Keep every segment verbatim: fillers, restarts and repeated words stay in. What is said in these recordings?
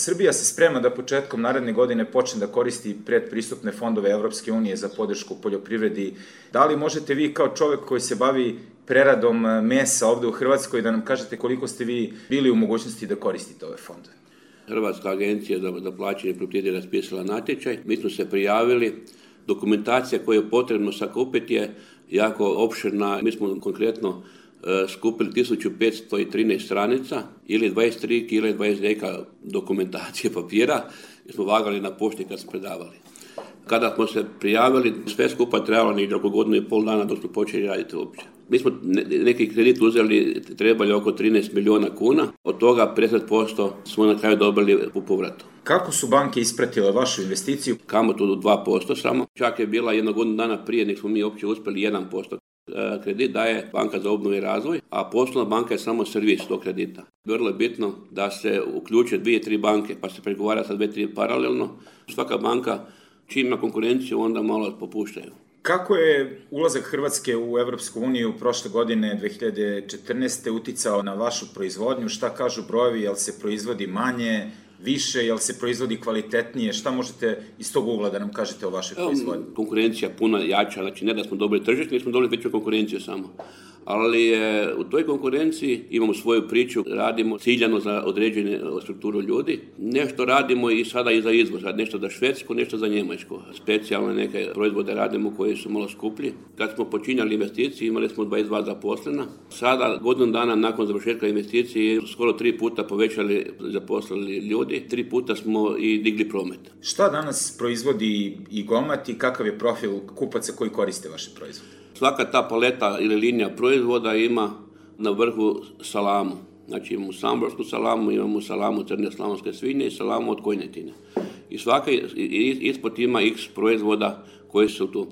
Srbija se sprema da početkom naredne godine počne da koristi predpristupne fondove Evropske unije za podršku poljoprivredi. Da li možete vi kao čovek koji se bavi preradom mesa ovde u Hrvatskoj da nam kažete koliko ste vi bili u mogućnosti da koristite ove fondove? Hrvatska agencija za, za plaćanje poljoprivrede je raspisala natječaj. Mi smo se prijavili. Dokumentacija koju je potrebno sakupiti je jako opširna. Mi smo konkretno skupili tisuću petsto trinaest stranica ili dvadeset tri kile, dvadeset deka dokumentacije papira i smo vagali na pošti kad smo predavali. Kada smo se prijavili, sve skupa trebalo negdje oko godinu i pol dana dok smo počeli raditi uopće. Mi smo neki kredit uzeli, trebali oko trinaest miliona kuna, od toga pedeset posto smo na kraju dobili u povratu. Kako su banke ispratile vašu investiciju? Kamatu do dva posto samo, čak je bila jedno godinu dana prije nek smo mi uopće uspjeli jedan posto. Kredit daje Banka za obnovu i razvoj, a poslovna banka je samo servis tog kredita. Vrlo je bitno da se uključe dvije, tri banke, pa se pregovara sa dvije, tri paralelno. Svaka banka čim ima konkurenciju, onda malo popuštaju. Kako je ulazak Hrvatske u Evropsku uniju prošle godine, dve hiljade četrnaeste. uticao na vašu proizvodnju? Šta kažu brojevi, jel se proizvodi manje, više, jel se proizvodi kvalitetnije? Šta možete iz tog ugla da nam kažete o vašoj proizvodnji? Konkurencija puno jača, znači ne da smo dobili tržište, mi smo dobili veću konkurenciju samo. Ali je, u toj konkurenciji imamo svoju priču, radimo ciljano za određenu strukturu ljudi. Nešto radimo i sada i za izvoz, nešto za Švedsku, nešto za Njemačku. Specijalne neke proizvode radimo koji su malo skuplji. Kad smo počinjali investicije imali smo dvadeset dva zaposlena. Sada, godinu dana nakon završetka investicije, skoro tri puta povećali zaposlili ljudi, tri puta smo i digli promet. Šta danas proizvodi i Gomat i kakav je profil kupaca koji koriste vaše proizvode? Svaka ta paleta ili linija proizvoda ima na vrhu salamu. Znači imamo samborsku salamu, imamo salamu crne slavonske svinje i salamu od kojnetine. I svaka ispod ima x proizvoda koji su tu.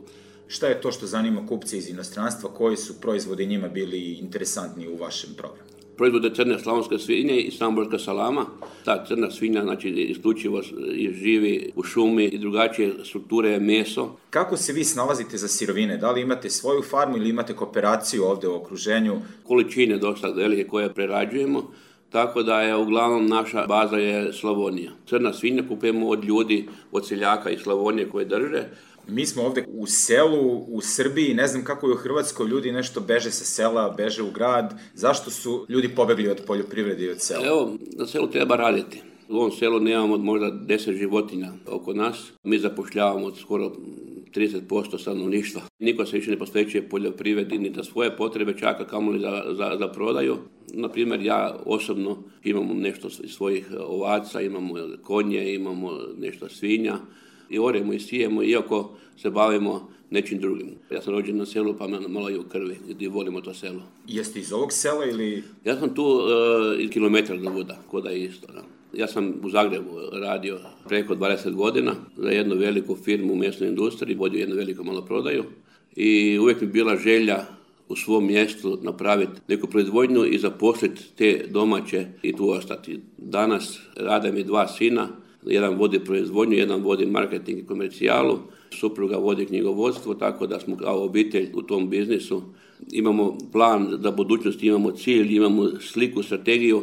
Šta je to što zanima kupce iz inostranstva? Koji su proizvodi njima bili interesantni u vašem programu? Proizvode crne slavonske svinje i samborska salama. Ta crna svinja, znači, isključivo živi u šumi i drugačije strukture je meso. Kako se vi snalazite za sirovine? Da li imate svoju farmu ili imate kooperaciju ovde u okruženju? Količine dosta velike koje prerađujemo, tako da je uglavnom naša baza je Slavonija. Crna svinja kupujemo od ljudi, od seljaka iz Slavonije koje drže. Mi smo ovde u selu, u Srbiji, ne znam kako je u Hrvatskoj, ljudi nešto beže sa sela, beže u grad. Zašto su ljudi pobegli od poljoprivrede i od sela? Evo, na selu treba raditi. U ovom selu nemamo možda deset životinja oko nas. Mi zapošljavamo skoro trideset posto stanovništva. Niko se više ne posvećuje poljoprivredi ni za svoje potrebe, čak a kamoli za, za, za prodaju. Naprimjer, ja osobno imamo nešto svojih ovaca, imamo konje, imamo nešto svinja. I oremo i sijemo, iako se bavimo nečim drugim. Ja sam rođen na selu, pa malo i u krvi, gdje volimo to selo. Jeste iz ovog sela ili? Ja sam tu uh, kilometar do Vuda, koda je isto. Da. Ja sam u Zagrebu radio preko dvadeset godina za jednu veliku firmu u mesnoj industriji, vodio jednu veliku maloprodaju i uvijek mi bila želja u svom mjestu napraviti neku proizvodnju i zaposliti te domaće i tu ostati. Danas rade mi dva sina. Jedan vodi proizvodnju, jedan vodi marketing i komercijalu, supruga vodi knjigovodstvo, tako da smo kao obitelj u tom biznisu. Imamo plan za budućnost, imamo cilj, imamo sliku, strategiju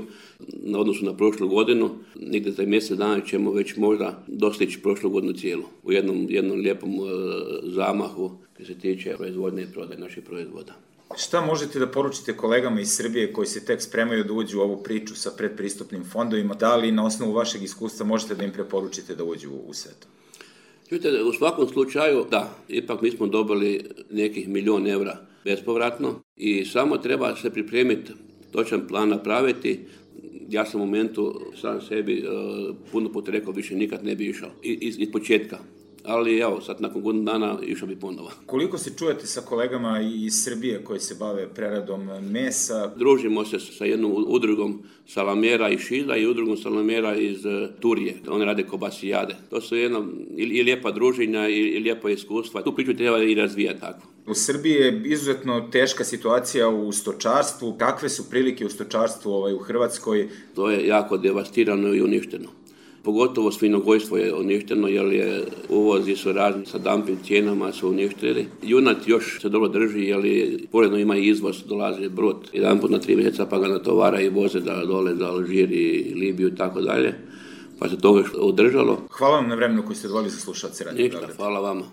na odnosu na prošlu godinu. Negdje za mjesec dana ćemo već možda dostići prošlu godinu cijelu u jednom, jednom lijepom uh, zamahu koji se tiče proizvodnje i prodaje naših proizvoda. Šta možete da poručite kolegama iz Srbije koji se tek spremaju da uđu u ovu priču sa predpristupnim fondovima? Da li na osnovu vašeg iskustva možete da im preporučite da uđu u sve to? Čujte, u svakom slučaju, da, ipak mi smo dobili nekih milion evra bespovratno i samo treba se pripremiti, točan plan napraviti. Ja sam u momentu sam sebi uh, puno puta rekao, više nikad ne bi išao iz, iz početka. Ali evo, sad nakon godinu dana išao bi ponovo. Koliko se čujete sa kolegama iz Srbije koji se bave preradom mesa? Družimo se sa jednom udrugom salamera iz Šida i udrugom salamera iz Turije. Oni rade kobasijade. To su jedna i, i lijepa druženja i, i lijepa iskustva. Tu priču treba i razvijati tako. U Srbiji je izuzetno teška situacija u stočarstvu. Kakve su prilike u stočarstvu ovaj, u Hrvatskoj? To je jako devastirano i uništeno. Pogotovo svinjogojstvo je uništeno jer je uvozi su razni sa dumping cijenama su uništili. Junat još se dobro drži jer je poredno ima i izvoz, dolazi brod jedan put na tri mjeseca pa ga natovara i voze da dole za Alžir i Libiju i tako dalje. pa se toga održalo. Hvala vam na vremenu koji ste odvojili za slušalce Radio Ništa, Beograd. hvala vama.